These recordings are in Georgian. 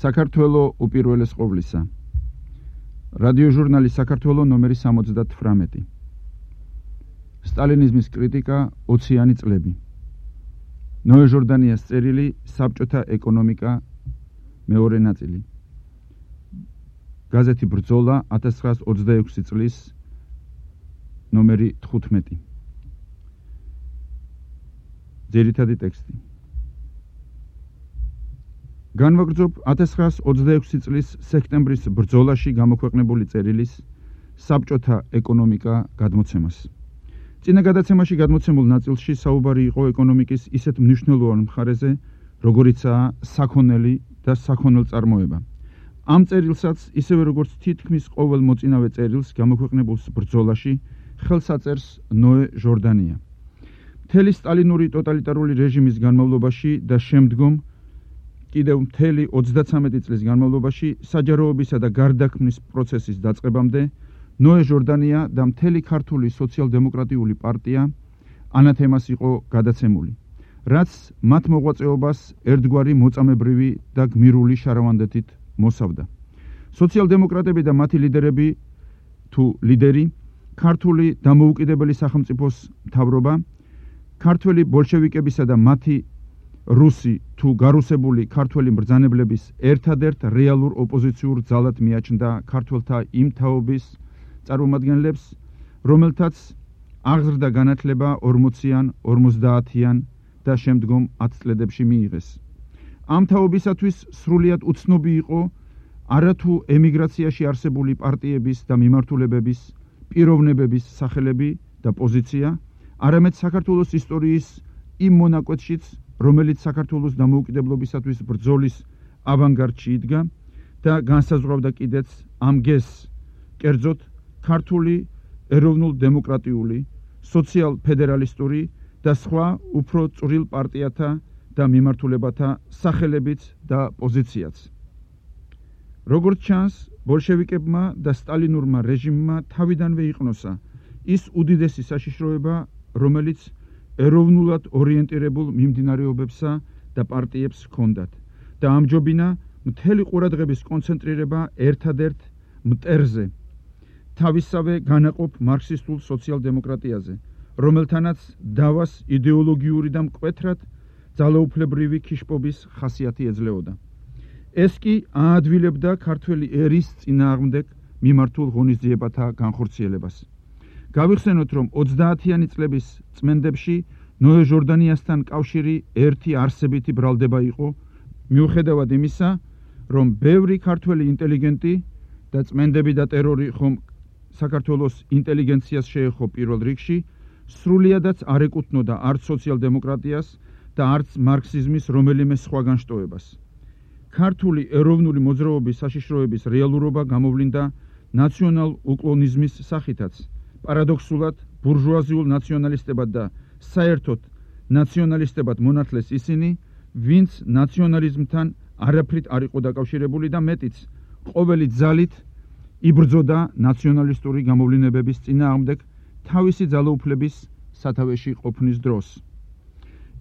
საქართველო უპირველეს ყოვლისა. რადიოჟურნალი საქართველო ნომერი 78. სტალინიზმის კრიტიკა 20-იანი წლები. ნოე ჟორდანიას წერილი საბჭოთა ეკონომიკა მეორე ნაწილი. გაზეთი ბრძოლა 1926 წლის ნომერი 15. ძირითადი ტექსტი. განვაგრძობ 1926 წლის სექტემბრის ბრძოლაში გამოქვეყნებული წერილის საბჭოთა ეკონომიკა გადმოცემას. წინა გადაცემაში გადმოცემულ ნაწილში საუბარი იყო ეკონომიკის ისეთ მნიშვნელოვან მხარეზე, როგორიცაა საქონელი და საქონელწარმოება. ამ წერილსაც, ისევე როგორც თითქმის ყოველ მოწინავე წერილს გამოქვეყნებულ ბრძოლაში, ხელს აწერს ნოე ჟორდანია. მთელი სტალინური ტოტალიტარული რეჟიმის განმავლობაში და შემდგომ კიდევ მთელი 33 წლის განმავლობაში საჯაროობისა და გარდაქმნის პროცესის დაწყებამდე ნოე ჟორდანია და მთელი ქართული სოციალ-დემოკრატიული პარტია ანათემას იყო გადაცემული, რაც მათ მოღვაწეობას ერთგვარი მოწამებრივი და გმირული შარავანდეთით მოსავდა. სოციალ-დემოკრატები და მათი ლიდერები თუ ლიდერი, ქართული დამოუკიდებელი სახელმწიფოს მთავრობა, ქართველი ბოლშევიკებისა და მათი რუსი თუ გარუსებული ქართველი მბრძანებლების ერთადერთ რეალურ ოპოზიციურ ძალად მიაჩნდა ქართველთა იმ თაობის წარმომადგენლებს, რომელთაც აღზრდა განათლება 40-იან, 50-იან და შემდგომ 10 წლებში მიიღეს. ამ თაობისათვის სრულიად უცნობი იყო არათუ ემიგრაციაში არსებული პარტიების და მიმართულებების პიროვნებების სახელები და პოზიცია, არამედ საქართველოს ისტორიის იმ მონაკვეთშიც, რომელიც საქართველოს დამოუკიდებლობისათვის ბრძოლის ავანგარდში იდგა და განსაზღვრავდა კიდეც ამ გეზს, კერძოდ ქართული ეროვნულ-დემოკრატიული, სოციალ-ფედერალისტური და სხვა უფრო წვრილ პარტიათა და მიმართულებათა სახელებიც და პოზიციაც. როგორც ჩანს, ბოლშევიკებმა და სტალინურმა რეჟიმმა თავიდანვე იყნოსა ის უდიდესი საშიშროება, რომელიც ეროვნულად ორიენტირებულ მიმდინარეობებსა და პარტიებს ჰქონდათ და ამჯობინა მთელი ყურადღების კონცენტრირება ერთადერთ მტერზე, თავისსავე განაყოფ მარქსისტულ სოციალ-დემოკრატიაზე, რომელთანაც დავას იდეოლოგიური და მკვეთრად ძალაუფლებრივი ქიშპობის ხასიათი ეძლეოდა. ეს კი აადვილებდა ქართველი ერის წინააღმდეგ მიმართულ ღონისძიებათა განხორციელებას. გავიხსენოთ, რომ 30-იანი წლების წმენდებში ნოე ჟორდანიასთან კავშირი ერთი არსებითი ბრალდება იყო, მიუხედავად იმისა, რომ ბევრი ქართველი ინტელიგენტი და წმენდები და ტერორი ხომ საქართველოს ინტელიგენციას შეეხო პირველ რიგში, სრულიადაც არ ეკუთვნოდა არც სოციალ-დემოკრატიას და არც მარქსიზმის რომელიმე სხვა განშტოებას. ქართული ეროვნული მოძრაობის საშიშროების რეალურობა გამოვლინდა ნაციონალ-უკლონიზმის სახითაც, პარადოქსულად ბურჟუაზიულ ნაციონალისტებად და საერთოდ ნაციონალისტებად მონათლეს ისინი, ვინც ნაციონალიზმთან არაფრით არ იყო დაკავშირებული და მეტიც ყოველი ძალით იბრძოდა ნაციონალისტური გამოვლინებების წინააღმდეგ თავისი ძალაუფლების სათავეში ყოფნის დროს.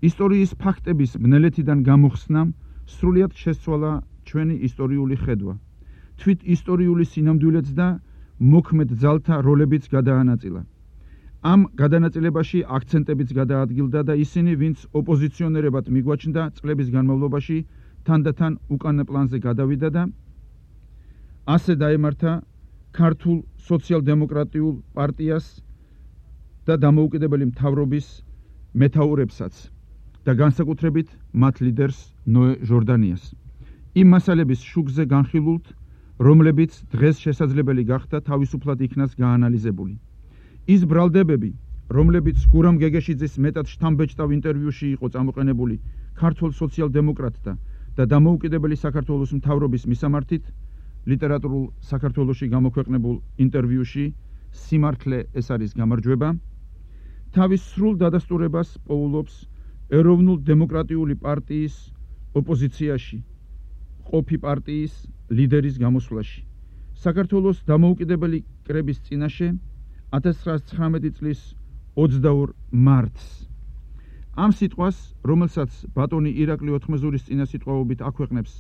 ისტორიის ფაქტების ბნელეთიდან გამოხსნამ სრულიად შესცვალა ჩვენი ისტორიული ხედვა. თვით ისტორიული სინამდვილეც და მოქმედ ძალთა როლებიც გადაანაწილა. ამ გადანაწილებაში აქცენტებიც გადაადგილდა და ისინი, ვინც ოპოზიციონერებად მიგვაჩნდა, წლების განმავლობაში თანდათან უკანა პლანზე გადავიდა და ასე დაემართა ქართულ სოციალ-დემოკრატიულ პარტიას და დამოუკიდებელი მთავრობის მეთაურებსაც და განსაკუთრებით მათ ლიდერს ნოე ჟორდანიას. იმ მასალების შუქზე განხილულთ, რომლებიც დღეს შესაძლებელი გახდა თავისუფლად იქნას გაანალიზებული. ის ბრალდებები, რომლებიც გურამ გეგეშიძის მეტად შთამბეჭდავ ინტერვიუში იყო წამოყენებული ქართულ სოციალ-დემოკრატთა და დამოუკიდებელი საქართველოს მთავრობის მისამართით, ლიტერატურულ საქართველოში გამოქვეყნებულ ინტერვიუში სიმართლე ეს არის გამარჯვება, თავის სრულ დადასტურებას პოულობს ეროვნულ-დემოკრატიული პარტიის ოპოზიციაში ყოფი პარტიის ლიდერის გამოსვლაში. საქართველოს დამოუკიდებელი კრების წინაშე 1919 წლის 22 მარტს. ამ სიტყვას, რომელსაც ბატონი ირაკლი ოთხმეზურის წინასიტყვაობით აქვეყნებს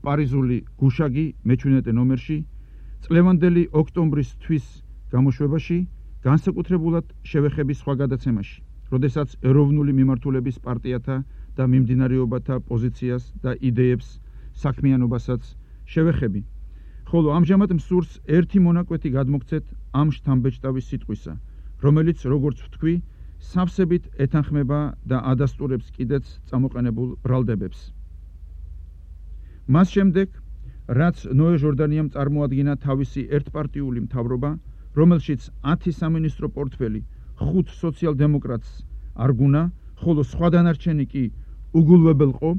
პარიზული გუშაგი მეჩვენეტე ნომერში წლევანდელი ოქტომბრის თვის გამოშვებაში განსაკუთრებულად შევეხები სხვა გადაცემაში, როდესაც ეროვნული მიმართულების პარტიათა და მიმდინარეობათა პოზიციას და იდეებს საქმიანობასაც შევეხები. ხოლო ამჟამად მსურს ერთი მონაკვეთი გადმოგცეთ ამ შთამბეჭდავის სიტყვისა, რომელიც, როგორც ვთქვი, სავსებით ეთანხმება და ადასტურებს კიდეც წამოყენებულ ბრალდებებს. მას შემდეგ, რაც ნოე ჟორდანიამ წარმოადგინა თავისი ერთპარტიული მთავრობა, რომელშიც 10 სამინისტრო პორტფელი 5 სოციალ-დემოკრატს არგუნა, ხოლო სხვა დანარჩენი კი უგულვებელყო,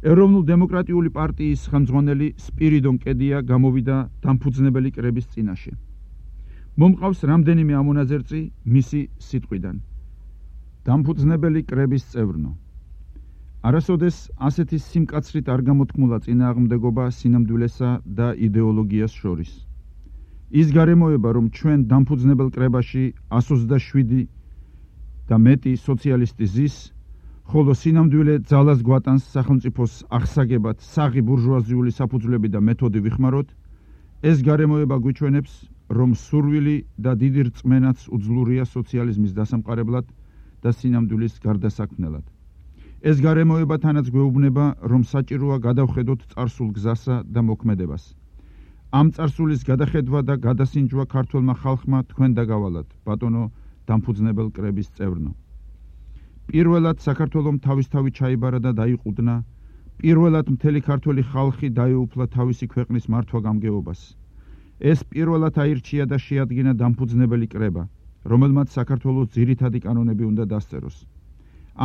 ეროვნულ-დემოკრატიული პარტიის ხელმძღვანელი სპირიდონ კედია გამოვიდა დამფუძნებელი კრების წინაშე. მომყავს რამდენიმე ამონაზერწი მისი სიტყვიდან. დამფუძნებელი კრების წევრნო. არასოდეს ასეთი სიმკაცრით არ გამოთქმულა წინააღმდეგობა სინამდვილესა და იდეოლოგიას შორის. ის გარემოება, რომ ჩვენ დამფუძნებელ კრებაში 127 და მეტი სოციალისტი ზის, ხოლო სინამდვილე ძალას გვატანს სახელმწიფოს აღსაგებად საღი ბურჟუაზიული საფუძვლები და მეთოდი ვიხმაროთ, ეს გარემოება გვიჩვენებს, რომ სურვილი და დიდი რწმენაც უძლურია სოციალიზმის დასამყარებლად და სინამდვილის გარდასაქმნელად. ეს გარემოება თანაც გვეუბნება, რომ საჭიროა გადავხედოთ წარსულ გზასა და მოქმედებას. ამ წარსულის გადახედვა და გადასინჯვა ქართველმა ხალხმა თქვენ დაგავალათ, ბატონო დამფუძნებელ კრების წევრნო. პირველად საქართველომ თავისთავად ჩაიბარა და დაიყუდნა, პირველად მთელი ქართველი ხალხი დაეუფლა თავისი ქვეყნის მართვა-გამგეობას. ეს პირველად აირჩია და შეადგინა დამფუძნებელი კრება, რომელმაც საქართველოს ძირითადი კანონები უნდა დასწეროს.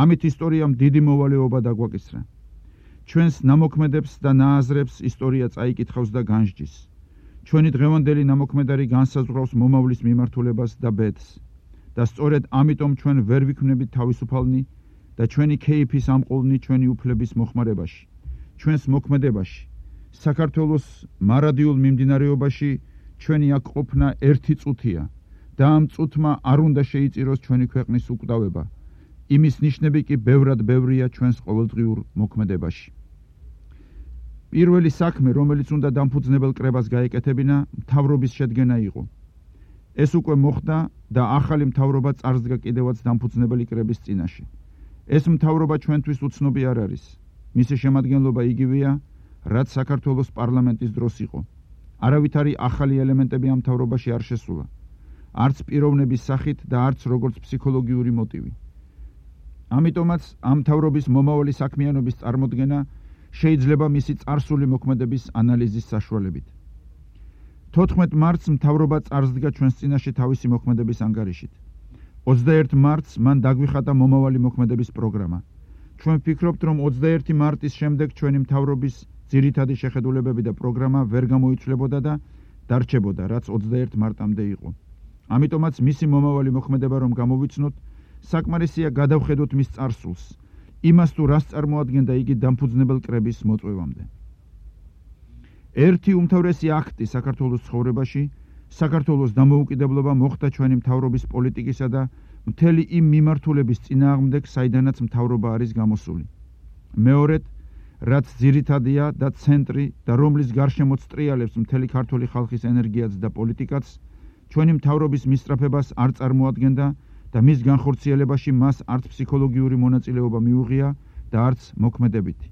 ამით ისტორიამ დიდი მოვალეობა დაგვაკისრა. ჩვენს ნამოქმედებს და ნააზრებს ისტორია წაიკითხავს და განსჯის. ჩვენი დღევანდელი ნამოქმედარი განსაზღვრავს მომავლის მიმართულებას და ბედს. და სწორედ ამიტომ ჩვენ ვერ ვიქმნებით თავისუფალნი და ჩვენი ქეიფის ამყოლნი ჩვენი უფლების მოხმარებაში, ჩვენს მოქმედებაში, საქართველოს მარადიულ მიმდინარეობაში ჩვენი აქ ყოფნა ერთი წუთია და ამ წუთმა არ უნდა შეიწიროს ჩვენი ქვეყნის უკვდავება. იმის ნიშნები კი ბევრად ბევრია ჩვენს ყოველდღიურ მოქმედებაში. პირველი საქმე, რომელიც უნდა დამფუძნებელ კრებას გაეკეთებინა, მთავრობის შედგენა იყო. ეს უკვე მოხდა და ახალი მთავრობა წარსდგა კიდევაც დამფუძნებელი კრების წინაშე. ეს მთავრობა ჩვენთვის უცნობი არ არის. მისი შემადგენლობა იგივეა, რაც საქართველოს პარლამენტის დროს იყო. არავითარი ახალი ელემენტები ამ მთავრობაში არ შესულა. არც პიროვნების სახით და არც როგორც ფსიქოლოგიური მოტივი. ამიტომაც ამ მთავრობის მომავალი საქმიანობის წარმოდგენა შეიძლება მისი წარსული მოქმედების ანალიზის საშუალებით. 14 მარტს მთავრობა წარსდგა ჩვენს წინაშე თავისი მოქმედების ანგარიშით. 21 მარტს მან დაგვიხატა მომავალი მოქმედების პროგრამა. ჩვენ ვფიქრობთ, რომ 21 მარტის შემდეგ ჩვენი მთავრობის ძირითადი შეხედულებები და პროგრამა ვერ გამოიცვლებოდა და დარჩებოდა, რაც 21 მარტამდე იყო. ამიტომაც მისი მომავალი მოქმედება რომ გამოვიცნოთ, საკმარისია გადავხედოთ მის წარსულს, იმას თუ რას წარმოადგენდა იგი დამფუძნებელ კრების მოწვევამდე. ერთი უმთავრესი აქტი საქართველოს ცხოვრებაში, საქართველოს დამოუკიდებლობა მოხდა ჩვენი მთავრობის პოლიტიკისა და მთელი იმ მიმართულების წინააღმდეგ, საიდანაც მთავრობა არის გამოსული. მეორედ, რაც ძირითადია და ცენტრი და რომლის გარშემოც ტრიალებს მთელი ქართული ხალხის ენერგიაც და პოლიტიკაც, ჩვენი მთავრობის მისწრაფებას არ წარმოადგენდა და მის განხორციელებაში მას არც ფსიქოლოგიური მონაწილეობა მიუღია და არც მოქმედებითი.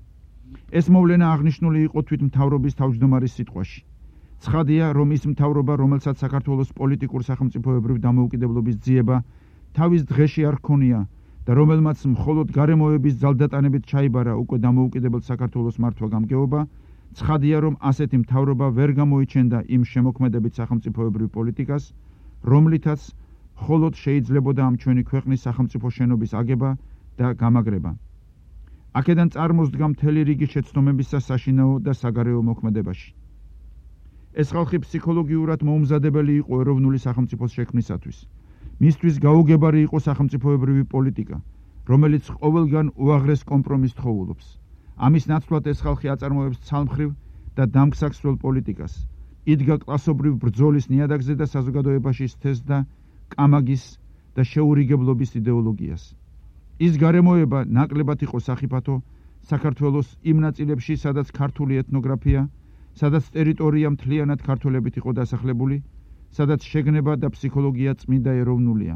ეს მოვლენა აღნიშნული იყო თვით მთავრობის თავმჯდომარის სიტყვაში. ცხადია, რომ ის მთავრობა, რომელსაც საქართველოს პოლიტიკურ სახელმწიფოებრივ დამოუკიდებლობის ძიება თავის დღეში არ ჰქონია და რომელმაც მხოლოდ გარემოების ძალდატანებით ჩაიბარა უკვე დამოუკიდებელ საქართველოს მართვა-გამგეობა, ცხადია, რომ ასეთი მთავრობა ვერ გამოიჩენდა იმ შემოქმედებით სახელმწიფოებრივ პოლიტიკას, რომლითაც მხოლოდ შეიძლებოდა ამ ჩვენი ქვეყნის სახელმწიფო შენობის აგება და გამაგრება. აქედან წარმოსდგა მთელი რიგი შეცდომებისა საშინაო და საგარეო მოქმედებაში. ეს ხალხი ფსიქოლოგიურად მოუმზადებელი იყო ეროვნული სახელმწიფოს შექმნისათვის. მისთვის გაუგებარი იყო სახელმწიფოებრივი პოლიტიკა, რომელიც ყოველგან უაღრეს კომპრომისს თხოვულობს. ამის ნაცვლად ეს ხალხი აწარმოებს ცალმხრივ და დამქსაქსრელ პოლიტიკას. იდგა კლასობრივ ბრძოლის ნიადაგზე და საზოგადოებაში სთესდა კამაგის და შეურიგებლობის იდეოლოგიას. ის გარემოება ნაკლებად იყო სახიფათო საქართველოს იმ ნაწილებში, სადაც ქართული ეთნოგრაფია, სადაც ტერიტორია მთლიანად ქართველებით იყო დასახლებული, სადაც შეგნება და ფსიქოლოგია წმინდა ეროვნულია.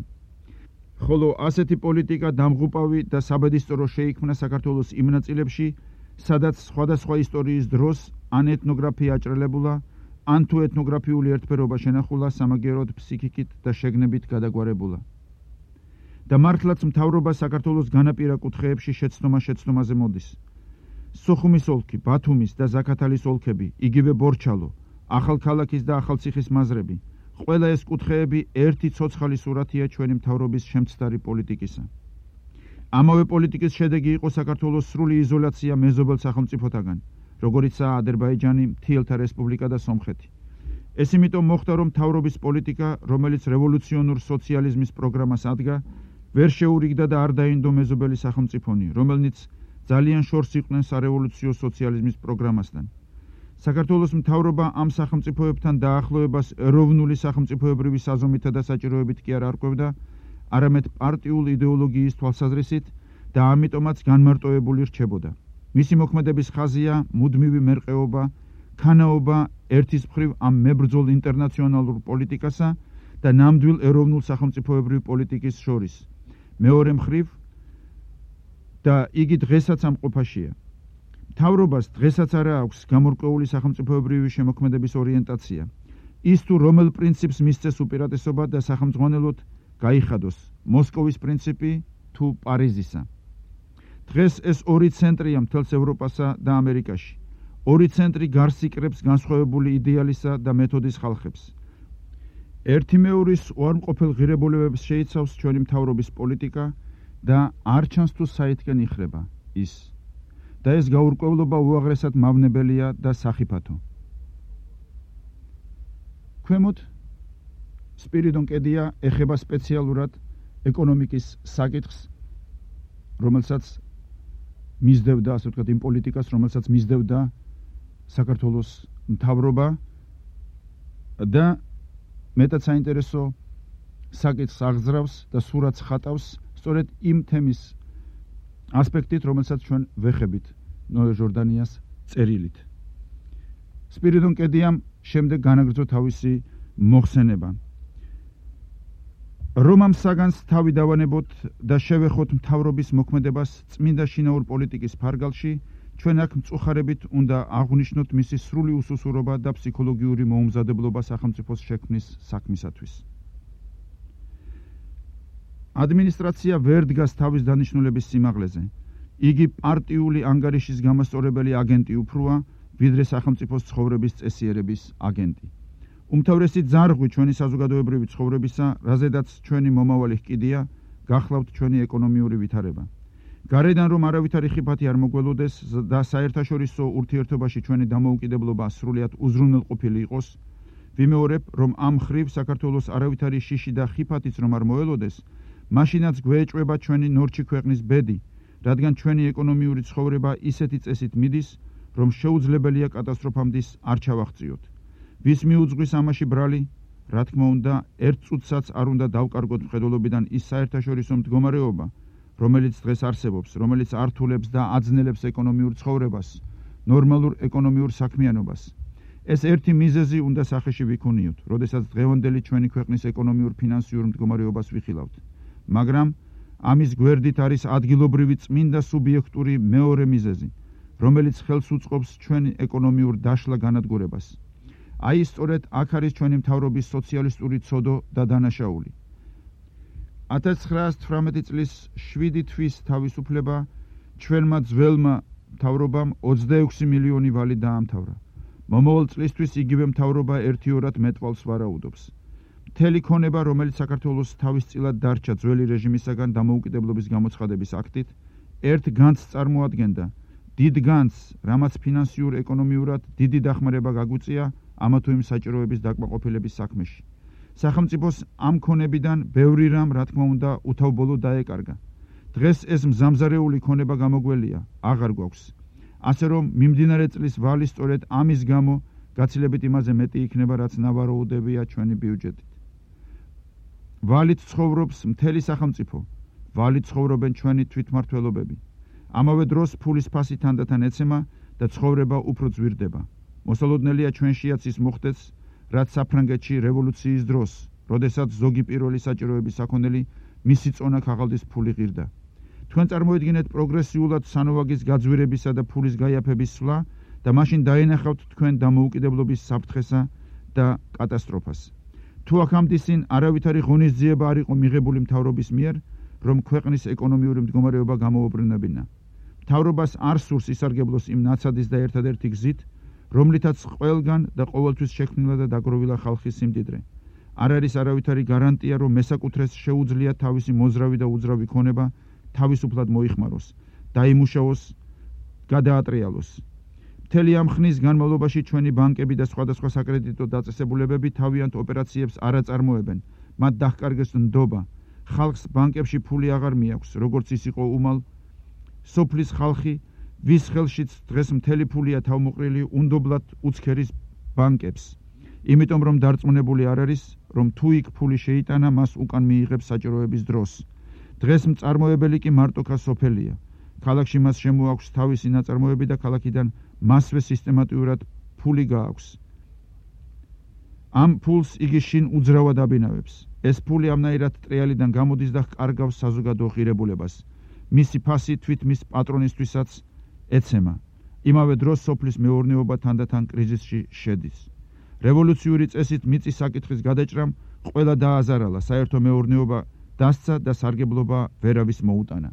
ხოლო ასეთი პოლიტიკა დამღუპავი და საბედისწერო შეიქმნა საქართველოს იმ ნაწილებში, სადაც სხვადასხვა ისტორიის დროს ან ეთნოგრაფია აჭრელებულა, ან თუ ეთნოგრაფიული ერთფერობა შენახულა, სამაგიეროდ ფსიქიკით და შეგნებით გადაგვარებულა. და მართლაც მთავრობა საქართველოს განაპირა კუთხეებში შეცდომაზე მოდის. სოხუმის ოლქი, ბათუმის და ზაქათალის ოლქები, იგივე ბორჩალო, ახალქალაქის და ახალციხის მაზრები, ყველა ეს კუთხეები ერთი ცოცხალი სურათია ჩვენი მთავრობის შემცდარი პოლიტიკისა. ამავე პოლიტიკის შედეგი იყო საქართველოს სრული იზოლაცია მეზობელ სახელმწიფოთაგან, როგორიცაა აზერბაიჯანი, მთიელთა რესპუბლიკა და სომხეთი. ეს იმიტომ მოხდა, რომ მთავრობის პოლიტიკა, რომელიც რევოლუციონურ სოციალიზმის პროგრამას ადგა, ვერ შეურიგდა და არ დაინდო მეზობელი სახელმწიფონი, რომელნიც ძალიან შორს იყვნენ სარევოლუციო სოციალიზმის პროგრამასთან. საქართველოს მთავრობა ამ სახელმწიფოებთან დაახლოებას ეროვნული სახელმწიფოებრივი საზომითა და საჭიროებით კი არ არკვევდა, არამედ პარტიულ იდეოლოგიის თვალსაზრისით და ამიტომაც განმარტოებული რჩებოდა. მისი მოქმედების ხაზია მუდმივი მერყეობა, ქანაობა ერთის მხრივ ამ მებრძოლ ინტერნაციონალურ პოლიტიკასა და ნამდვილ ეროვნულ სახელმწიფოებრივ პოლიტიკის შორის. მეორე მხრივ და იგი დღესაც ამ ყოფაშია. მთავრობას დღესაც არა აქვს გამორკვეული სახელმწიფოებრივი შემოქმედების ორიენტაცია. ის თუ რომელ პრინციპს მისცეს უპირატესობა და სახელმძღვანელოდ გაიხადოს მოსკოვის პრინციპი თუ პარიზისა. დღეს ეს ორი ცენტრია მთელს ევროპასა და ამერიკაში. ორი ცენტრი გარს იკრებს განსხვავებული იდეალისა და მეთოდის ხალხებს. ერთი მეორის უარმყოფელ ღირებულებებს შეიცავს ჩვენი მთავრობის პოლიტიკა და არ ჩანს თუ საითგან იხრება ის. და ეს გაურკვევლობა უაღრესად მავნებელია და სახიფათო. ქვემოთ სპირიდონ კედია ეხება სპეციალურად ეკონომიკის საკითხს, რომელსაც მისდევდა, ასე ვთქვათ, იმ პოლიტიკას, რომელსაც მისდევდა საქართველოს მთავრობა და მეტად საინტერესო საკითხს აღძრავს და სურათს ხატავს სწორედ იმ თემის ასპექტით, რომელსაც ჩვენ ვეხებით ნოე ჟორდანიას წერილით. სპირიდონ კედიამ შემდეგ განაგრძო თავისი მოხსენება. რომ ამ საგანს თავი დავანებოთ და შევეხოთ მთავრობის მოქმედებას წმინდა შინაურ პოლიტიკის ფარგალში, ჩვენ აქ მწუხარებით უნდა აღვნიშნოთ მისი სრული უსუსურობა და ფსიქოლოგიური მოუმზადებლობა სახელმწიფოს შექმნის საქმისათვის. ადმინისტრაცია ვერ დგას თავის დანიშნულების სიმაღლეზე. იგი პარტიული ანგარიშის გამოსწორებელი აგენტი უფროა, ვიდრე სახელმწიფოს ცხოვრების წესიერების აგენტი. უმთავრესი ძარღვი ჩვენი საზოგადოებრივი ცხოვრებისა, რაზედაც ჩვენი მომავალი ჰკიდია, გახლავთ ჩვენი ეკონომიური ვითარება. გარედან რომ არავითარი ხიფათი არ მოგველოდეს და საერთაშორისო ურთიერთობაში ჩვენი დამოუკიდებლობა სრულიად უზრუნველყოფილი იყოს, ვიმეორებ, რომ ამ მხრივ საქართველოს არავითარი შიში და ხიფათიც რომ არ მოელოდეს, მაშინაც გვეეჭვება ჩვენი ნორჩი ქვეყნის ბედი, რადგან ჩვენი ეკონომიური ცხოვრება ისეთი წესით მიდის, რომ შეუძლებელია კატასტროფამდე არ ჩავაღწიოთ. ვის მიუძღვის ამაში ბრალი, რა თქმა უნდა, ერთ წუთსაც არ უნდა დავკარგოთ მხედველობიდან ის საერთაშორისო მდგომარეობა, რომელიც დღეს არსებობს, რომელიც ართულებს და აძნელებს ეკონომიურ ცხოვრებას, ნორმალურ ეკონომიურ საქმიანობას. ეს ერთი მიზეზი უნდა სახეში ვიქონიოთ, როდესაც დღევანდელი ჩვენი ქვეყნის ეკონომიურ ფინანსიურ მდგომარეობას ვიხილავთ. მაგრამ ამის გვერდით არის ადგილობრივი წმინდა სუბიექტური მეორე მიზეზი, რომელიც ხელს უწყობს ჩვენი ეკონომიურ დაშლა განადგურებას. აი სწორედ აქ არის ჩვენი მთავრობის სოციალისტური ცოდო და დანაშაული. 1918 წლის 7 თვის თავისუფლება ჩვენმა ძველმა მთავრობამ 26 მილიონი ვალი დაამთავრა. მომავალ წლისთვის იგივე მთავრობა ერთიორად მეტყვალს ვარაუდობს. მთელი ქონება, რომელიც საქართველოს თავისწილად დარჩა ძველი რეჟიმისაგან დამოუკიდებლობის გამოცხადების აქტით, ერთ განცს წარმოადგენდა, დიდ განცს, რამაც ფინანსიურ ეკონომიურად დიდი დახმარება გაგვიწია ამა თუ იმ საჭიროების დაკმაყოფილების საქმეში. სახელმწიფოს ამ ქონებიდან ბევრი რამ, რა თქმა უნდა, უთავბოლო დაეკარგა. დღეს ეს მზამზარეული ქონება გამოგველია, აღარ გვაქვს. ასე რომ მიმდინარე წლის ვალი სწორედ ამის გამო გაცილებით იმაზე მეტი იქნება, რაც ნავარაუდებია ჩვენი ბიუჯეტით. ვალით ცხოვრობს მთელი სახელმწიფო, ვალით ცხოვრობენ ჩვენი თვითმმართველობები. ამავე დროს ფულის ფასი თანდათან ეცემა და ცხოვრება უფრო ძვირდება. მოსალოდნელია ჩვენშიაც ის მოხდეს, რაც საფრანგეთში რევოლუციის დროს, როდესაც ზოგი პირველი საჭიროების საქონელი მისი წონა ქაღალდის ფული ღირდა. თქვენ წარმოედგინეთ პროგრესიულად სანოვაგის გაძვირებისა და ფულის გაიაფების სვლა და მაშინ დაენახავთ თქვენ დამოუკიდებლობის საფრთხესა და კატასტროფას. თუ აქამდე წინ არავითარი ღონისძიება არ იყო მიღებული მთავრობის მიერ, რომ ქვეყნის ეკონომიური მდგომარეობა გამოუბრუნებინა. მთავრობას არ სურს ისარგებლოს იმ ნაცადის და ერთადერთი გზით, რომლითაც ყველგან და ყოველთვის შექმნილა და დაგროვილა ხალხის სიმდიდრე. არ არის არავითარი გარანტია, რომ მესაკუთრეს შეუძლია თავისი მოზრავი და უძრავი ქონება თავისუფლად მოიხმაროს, დაიმუშაოს, გადაატრიალოს. მთელი ამ ხნის განმავლობაში ჩვენი ბანკები და სხვადასხვა საკრედიტო დაწესებულებები თავიანთ ოპერაციებს არ აწარმოებენ, მათ დაჰკარგეს ნდობა. ხალხს ბანკებში ფული აღარ მიაქვს, როგორც ის იყო უმალ. სოფლის ხალხი, ვის ხელშიც დღეს მთელი ფულია თავმოყრილი, უნდობლად უცქერის ბანკებს. იმიტომ რომ დარწმუნებული არ არის, რომ თუ იქ ფული შეიტანა, მას უკან მიიღებს საჭიროების დროს. დღეს მწარმოებელი კი მარტოქა სოფელია. ქალაქში მას შემოაქვს თავისი ნაწარმოები და ქალაქიდან მასვე სისტემატიურად ფული გააქვს. ამ ფულს იგი შინ უძრავად აბინავებს. ეს ფული ამნაირად ტრიალიდან გამოდის და კარგავს საზოგადო ღირებულებას. მისი ფასი თვით მის პატრონისთვისაც ეცემა. იმავე დროს სოფლის მეურნეობა თანდათან კრიზისში შედის. რევოლუციური წესით მიწის საკითხის გადაჭრამ ყველა დააზარალა, საერთო მეურნეობა დასცა და სარგებლობა ვერავის მოუტანა.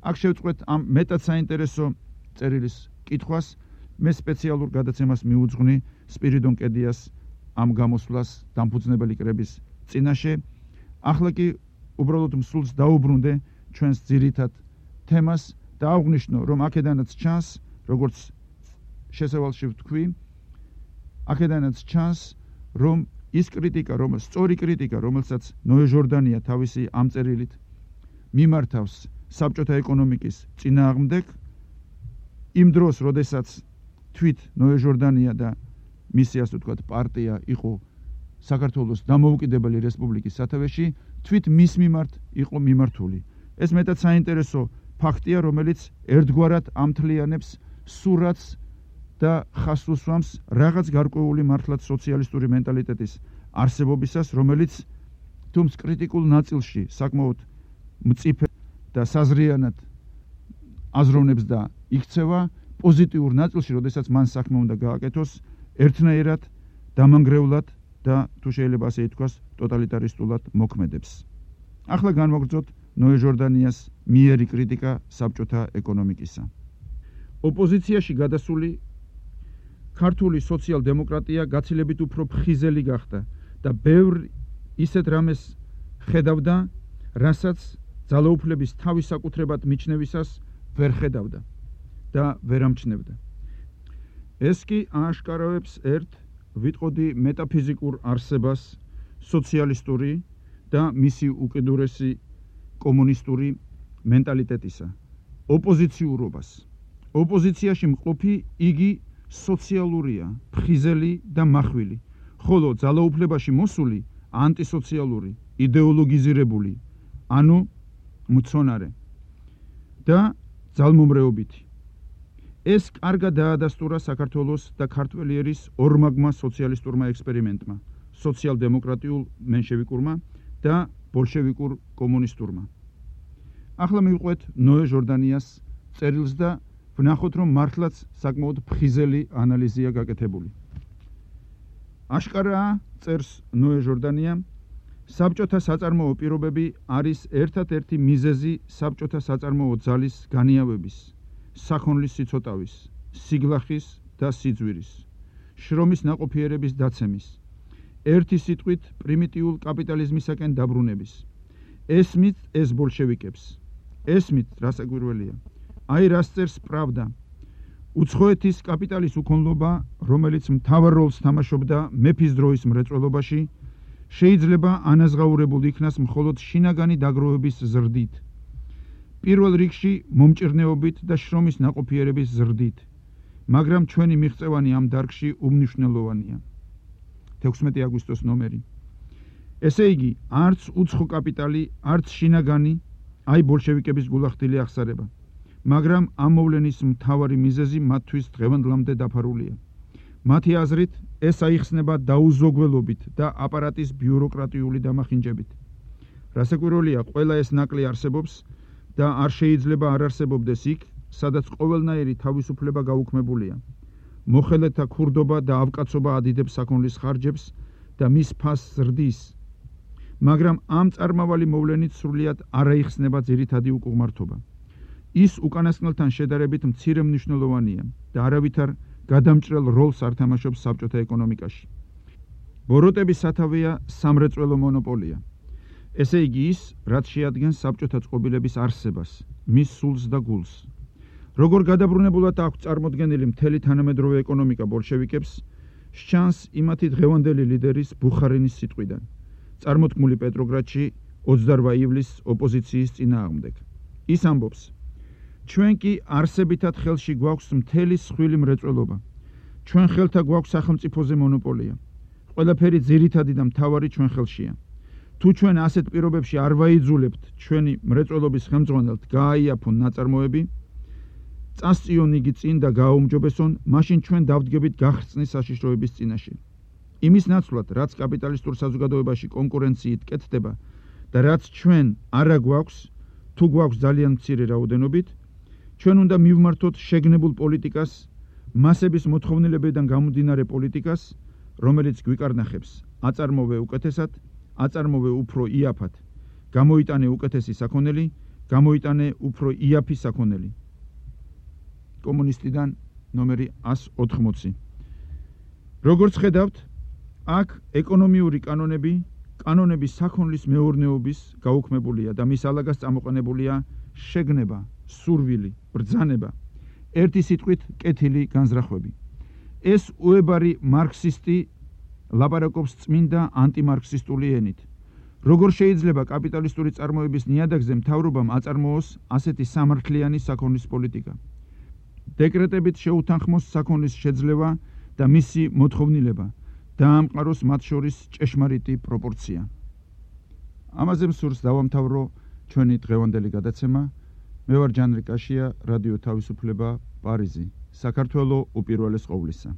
აქ შევწყვეთ ამ მეტად საინტერესო წერილის კითხვას, მე სპეციალურ გადაცემას მიუძღვნი სპირიდონ კედიას ამ გამოსვლას დამფუძნებელი კრების წინაშე. ახლა კი უბრალოდ მსულს დაუბრუნდე ჩვენს ძირითად თემას და აღვნიშნო, რომ აქედანაც ჩანს, როგორც შესავალში ვთქვი, აქედანაც ჩანს, რომ ის კრიტიკა, სწორი კრიტიკა, რომელსაც ნოე ჟორდანია თავისი ამ წერილით მიმართავს საბჭოთა ეკონომიკის წინააღმდეგ, იმ დროს, როდესაც თვით ნოე ჟორდანია და მისი ასე ვთქვათ პარტია იყო საქართველოს დამოუკიდებელი რესპუბლიკის სათავეში, თვით მის მიმართ იყო მიმართული. ეს მეტად საინტერესო ფაქტია, რომელიც ერთგვარად ამთლიანებს სურათს და ხაზს უსვამს რაღაც გარკვეული მართლაც სოციალისტური მენტალიტეტის არსებობისას, რომელიც თუმც კრიტიკულ ნაწილში საკმაოდ მწიფე და საზრიანად აზროვნებს და იქცევა, პოზიტიურ ნაწილში, როდესაც მან საქმე უნდა გააკეთოს, ერთნაირად, დამანგრევლად და თუ შეიძლება ასე ითქვას, ტოტალიტარისტულად მოქმედებს. ახლა განვაგრძოთ ნოე ჟორდანიას მიერი კრიტიკა საბჭოთა ეკონომიკისა. ოპოზიციაში გადასული ქართული სოციალ-დემოკრატია გაცილებით უფრო ფხიზელი გახდა და ბევრ ისეთ რამეს ხედავდა, რასაც ძალაუფლების თავის საკუთრებად მიჩნევისას ვერ ხედავდა და ვერ ამჩნევდა. ეს კი ააშკარავებს ერთ ვიტყოდი მეტაფიზიკურ არსებას სოციალისტური და მისი უკიდურესი კომუნისტური მენტალიტეტისა, ოპოზიციურობას. ოპოზიციაში მყოფი იგი სოციალურია, ფხიზელი და მახვილი, ხოლო ძალაუფლებაში მოსული ანტისოციალური, იდეოლოგიზირებული, ანუ მცონარე და ძალმომრეობითი. ეს კარგად დაადასტურა საქართველოს და ქართველიერის ორმაგმა სოციალისტურმა ექსპერიმენტმა, სოციალ-დემოკრატიულ მენშევიკურმა და ბოლშევიკურ კომუნისტურმა. ახლა მივყვეთ ნოე ჟორდანიას წერილს და ვნახოთ, რომ მართლაც საკმაოდ ფხიზელი ანალიზია გაკეთებული. აშკარაა, წერს ნოე ჟორდანია, საბჭოთა საწარმოო პირობები არის ერთადერთი მიზეზი საბჭოთა საწარმოო ძალის განიავების, საქონლის სიცოტავის, სიგლახის და სიძვირის, შრომის ნაყოფიერების დაცემის, ერთი სიტყვით პრიმიტიულ კაპიტალიზმისაკენ დაბრუნების. ესმით ეს ბოლშევიკებს, ესმით რასაკვირველია, აი რას წერს პრავდა, უცხოეთის კაპიტალის უქონლობა, რომელიც მთავარ როლს თამაშობდა მეფის დროის მრეწველობაში, შეიძლება ანაზღაურებულ იქნას მხოლოდ შინაგანი დაგროვების ზრდით, პირველ რიგში მომჭირნეობით და შრომის ნაყოფიერების ზრდით, მაგრამ ჩვენი მიღწევანი ამ დარგში უმნიშვნელოვანია. 16 აგვისტოს ნომერი. ესე იგი, არც უცხო კაპიტალი, არც შინაგანი, აი ბოლშევიკების გულახდილი აღსარება. მაგრამ ამ მოვლენის მთავარი მიზეზი მათთვის დღევანდლამდე დაფარულია. მათი აზრით, ეს აიხსნება დაუზოგველობით და აპარატის ბიუროკრატიული დამახინჯებით. რასაკვირველია, ყველა ეს ნაკლი არსებობს და არ შეიძლება არ არსებობდეს იქ, სადაც ყოველნაირი თავისუფლება გაუქმებულია. მოხელეთა ქურდობა და ავკაცობა ადიდებს საქონლის ხარჯებს და მის ფასს ზრდის. მაგრამ ამ წარმავალი მოვლენით სრულიად არ აიხსნება ძირითადი უკუღმართობა. ის უკანასკნელთან შედარებით მცირე მნიშვნელოვანია და არავითარ გადამჭრელ როლს არ თამაშობს საბჭოთა ეკონომიკაში. ბოროტების სათავეა სამრეწველო მონოპოლია. ესე იგი ის, რაც შეადგენს საბჭოთა წყობილების არსებას, მის სულს და გულს. როგორ გადაბრუნებულად აქვს წარმოდგენილი მთელი თანამედროვე ეკონომიკა ბოლშევიკებს, სჩანს იმათი დღევანდელი ლიდერის ბუხარინის სიტყვიდან, წარმოთქმული პეტროგრადში 28 ივლისს ოპოზიციის წინააღმდეგ. ის ამბობს: ჩვენ კი არსებითად ხელში გვაქვს მთელი სხვილი მრეწველობა. ჩვენ ხელთა გვაქვს სახელმწიფოზე მონოპოლია. ყველაფერი ძირითადი და მთავარი ჩვენ ხელშია. თუ ჩვენ ასეთ პირობებში არ ვაიძულებთ ჩვენი მრეწველობის ხელმძღვანელთ გააიაფონ ნაწარმოები, წასწიონ იგი წინ და გააუმჯობესონ, მაშინ ჩვენ დავდგებით გახრწნის საშიშროების წინაშე. იმის ნაცვლად, რაც კაპიტალისტურ საზოგადოებაში კონკურენციით კეთდება და რაც ჩვენ არა გვაქვს, თუ გვაქვს ძალიან მცირე რაოდენობით, ჩვენ უნდა მივმართოთ შეგნებულ პოლიტიკას, მასების მოთხოვნილებიდან გამომდინარე პოლიტიკას, რომელიც გვიკარნახებს აწარმოვე უკეთესად, აწარმოვე უფრო იაფად, გამოიტანე უკეთესი საქონელი, გამოიტანე უფრო იაფი საქონელი. კომუნისტიდან ნომერი 180. როგორც ხედავთ, აქ ეკონომიური კანონები საქონლის მეურნეობის გაუქმებულია და მის ალაგას წამოყენებულია შეგნება, სურვილი, ბრძანება, ერთი სიტყვით კეთილი განზრახვები. ეს უებარი მარქსისტი ლაპარაკობს წმინდა ანტიმარქსისტული ენით. როგორ შეიძლება კაპიტალისტური წარმოების ნიადაგზე მთავრობამ აწარმოოს ასეთი სამართლიანი საქონლის პოლიტიკა? დეკრეტებით შეუთანხმოს საქონლის შეძლება და მისი მოთხოვნილება, დაამყაროს მათ შორის ჭეშმარიტი პროპორცია. ამაზე მსურს დავამთავრო ჩვენი დღევანდელი გადაცემა. მე ვარ ჯანრი კაშია, რადიო თავისუფლება, პარიზი, საქართველო უპირველეს ყოვლისა.